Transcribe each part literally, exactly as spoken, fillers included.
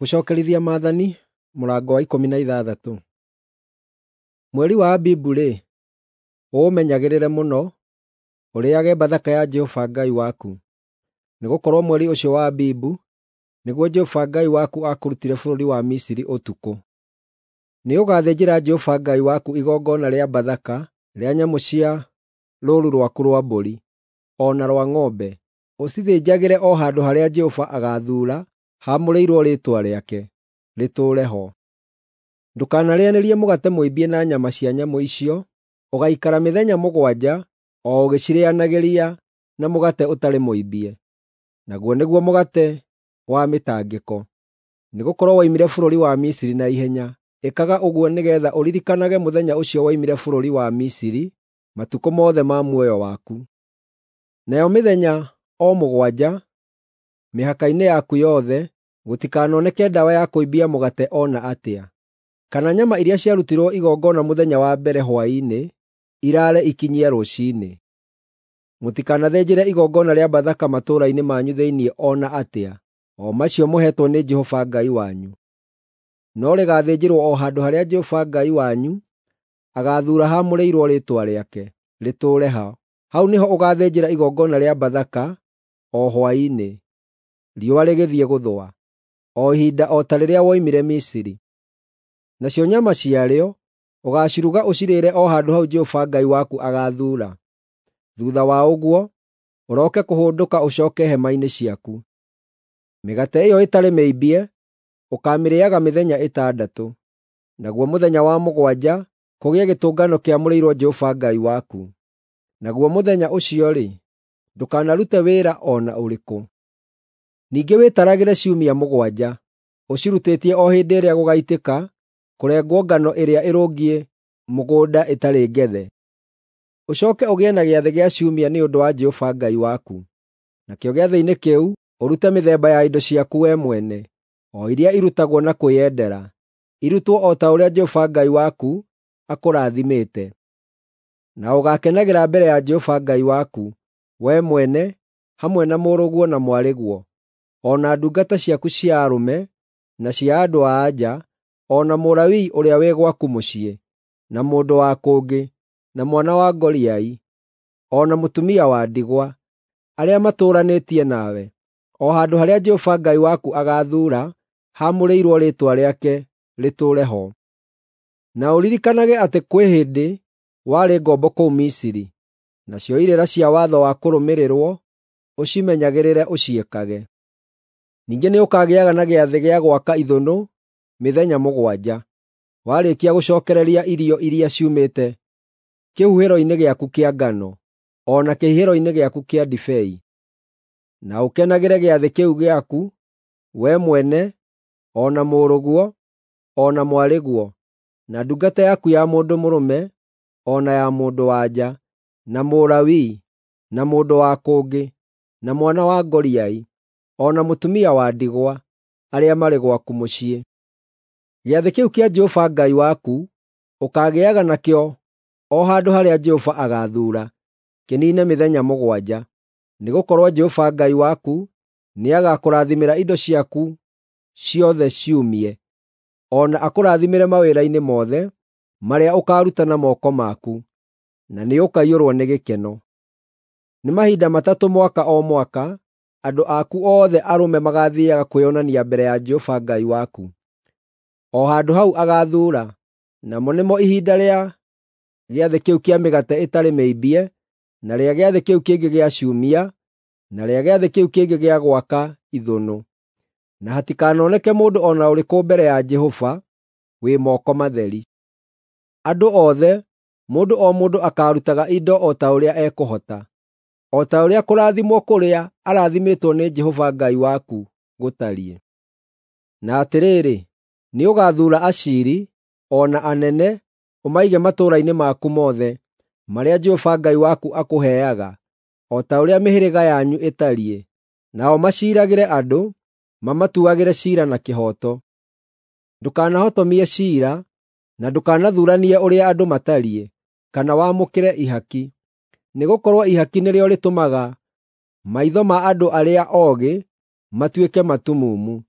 Gũcookerithia Maathani mũrango wa ikũmi na ithathatũ. Mweri wa Abibu-rĩ, ũũmenyagĩrĩre mũno, ũrĩĩage Bathaka ya Jehova Ngai waku, nĩgũkorwo mweri ũcio wa Abibu nĩguo Jehova Ngai waku aakũrutire bũrũri wa Misiri ũtukũ. Nĩũgathĩnjĩra Jehova Ngai waku igongona rĩa Bathaka rĩa nyamũ cia rũũru rwaku rwa mbũri, o na rwa ng'ombe, ũcithĩnjagĩre o handũ harĩa Jehova agaathuura haamũrĩirwo Rĩĩtwa rĩake, rĩtũũre ho. Ndũkanarĩanĩrie mũgate mũimbie na nyama cia nyamũ icio; ũgaikara mĩthenya mũgwanja o ũgĩcirĩanagĩria na mũgate ũtarĩ mũimbie, naguo nĩguo mũgate wa mĩtangĩko, nĩgũkorwo woimire bũrũri wa Misiri na ihenya. Ĩkaga ũguo nĩgeetha ũririkanage mũthenya ũcio woimire bũrũri wa Misiri matukũ mothe ma muoyo waku. Nayo mĩthenya o mũgwanja, mĩhaka-inĩ yaku yothe, gũtikanoneke ndawa ya kũimbia mũgate o na atĩa, kana nyama iria ciarutirwo igongona mũthenya wa mbere hwaĩ-inĩ iraare ikinyie rũciinĩ. Mũtikanathĩnjĩre igongona rĩa Bathaka matũũra-inĩ manyu thĩinĩ o na atĩa, o macio mũheetwo nĩ Jehova Ngai wanyu. No rĩgaathĩnjĩrwo o handũ harĩa Jehova Ngai wanyu agaathuura haamũrĩirwo Rĩĩtwa rĩake, rĩtũũre ho. Hau nĩho ũgaathĩnjĩra igongona rĩa Bathaka o hwaĩ-inĩ, riũa rĩgĩthiĩ gũthũa, o ihinda o ta rĩrĩa woimire Misiri. Nacio nyama ciarĩo ũgaaciruga ũcirĩĩre o handũ hau Jehova Ngai waku agaathuura. Thuutha wa ũguo, ũroke kũhũndũka ũcooke hema-inĩ ciaku. Mĩgate ĩyo ĩtarĩ mĩimbie ũkaamĩrĩĩaga mĩthenya ĩtandatũ, naguo mũthenya wa mũgwanja kũgĩe gĩtũngano kĩamũrĩirwo Jehova Ngai waku. Naguo mũthenya ũcio-rĩ, ndũkanarute wĩra o na ũrĩkũ. Ningĩ wĩtaragĩre ciumia mũgwanja, ũcirutĩtie o hĩndĩ ĩrĩa gũgaitĩka kũrengwo ngano ĩrĩa ĩrũngiĩ mũgũnda ĩtarĩ ngethe. Ũcooke ũgĩe na gĩathĩ gĩa ciumia nĩ ũndũ wa Jehova Ngai waku. Nakĩo gĩathĩ-inĩ kĩu ũrute mĩthemba ya indo ciaku wee mwene, o iria irutagwo na kwĩyendera, irutwo o ta ũrĩa Jehova Ngai waku akũrathimĩte. Na ũgaakenagĩra mbere ya Jehova Ngai waku, wee mwene, hamwe na mũrũguo na mwarĩguo, o na ndungata ciaku cia arũme na cia andũ-a-nja, o na Mũlawii ũrĩa wĩ gwaku mũciĩ, na mũndũ wa kũngĩ, na mwana wa ngoriai, o na mũtumia wa ndigwa, arĩa matũũranĩtie nawe, o handũ harĩa Jehova Ngai waku agaathuura haamũrĩirwo Rĩĩtwa rĩake rĩtũũre ho. Na ũririkanage atĩ kwĩ hĩndĩ warĩ ngombo kũu Misiri, nacio irĩra cia watho wa kũrũmĩrĩrwo ũcimenyagĩrĩre ũciĩkage. Ningĩ nĩũkagĩaga na gĩathĩ gĩa gwaka ithũnũ mĩthenya mũgwanja, warĩkia gũcookereria irio iria ciumĩte kĩhuhĩro-inĩ gĩaku kĩa ngano, o na kĩhihĩro-inĩ gĩaku kĩa ndibei. Na ũkenagĩre gĩathĩ kĩu gĩaku, wee mwene, o na mũrũguo, o na mwarĩguo, na ndungata yaku ya mũndũ mũrũme, o na ya mũndũ-wa-nja, na Mũlawii, na mũndũ wa kũngĩ, na mwana wa ngoriai, o na mũtumia wa ndigwa, arĩa marĩ gwaku mũciĩ. Gĩathĩ kĩu kĩa Jehova Ngai waku ũkaagĩaga nakĩo o handũ harĩa Jehova agaathuura, kĩniine mĩthenya mũgwanja, nĩgũkorwo Jehova Ngai waku nĩagakũrathimĩra indo ciaku ciothe ciumie, o na akũrathimĩre mawĩra-inĩ mothe marĩa ũkaaruta na moko maku, na nĩũkaiyũrwo nĩ gĩkeno. Nĩ mahinda matatũ mwaka o mwaka andũ aku othe arũme magaathiiaga kwĩonania mbere ya Jehova Ngai waku, o handũ hau agaathuura, namo nĩmo ihinda rĩa gĩathĩ kĩu kĩa mĩgate ĩtarĩ mĩimbie, na rĩa gĩathĩ kĩu kĩngĩ gĩa ciumia, na rĩa gĩathĩ kĩu kĩngĩ gĩa gwaka ithũnũ. Na hatikanoneke mũndũ o na ũrĩkũ mbere ya Jehova wĩ moko matheri. Andũ othe, mũndũ o mũndũ akaarutaga indo o ta ũrĩa ekũhota, o ta ũrĩa kũrathimwo kũrĩa arathimĩtwo nĩ Jehova Ngai waku gũtariĩ. Na atĩrĩrĩ, nĩũgathuura aciiri, o na anene, ũmaige matũũra-inĩ maku mothe, marĩa Jehova Ngai waku akũheaga, o ta ũrĩa mĩhĩrĩga yanyu ĩtariĩ, nao maciiragĩre andũ, mamatuagĩre ciira na kĩhooto. Ndũkanahotomie ciira, na ndũkanathuuranie ũrĩa andũ matariĩ, kana wamũkĩre ihaki, nĩgũkorwo ihaki nĩrĩo rĩtũmaga maitho ma andũ arĩa oogĩ matuĩke matumumu,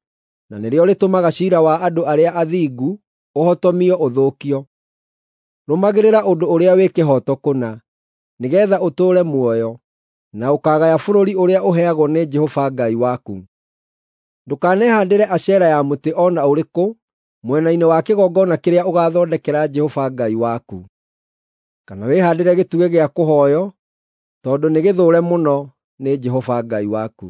na nĩrĩo rĩtũmaga ciira wa andũ arĩa athingu ũhotomio ũthũkio. Rũmagĩrĩra ũndũ ũrĩa wĩ kĩhooto kũna, nĩgeetha ũtũũre muoyo, na ũkaagaya bũrũri ũrĩa ũheagwo nĩ Jehova Ngai waku. Ndũkanehaandĩre Ashera ya mũtĩ o na ũrĩkũ mwena-inĩ wa kĩgongona kĩrĩa ũgaathondekera Jehova Ngai waku, kana wĩhaandĩre gĩtugĩ gĩa kũhooywo, tondũ nĩ gĩthũũre mũno nĩ Jehova Ngai waku.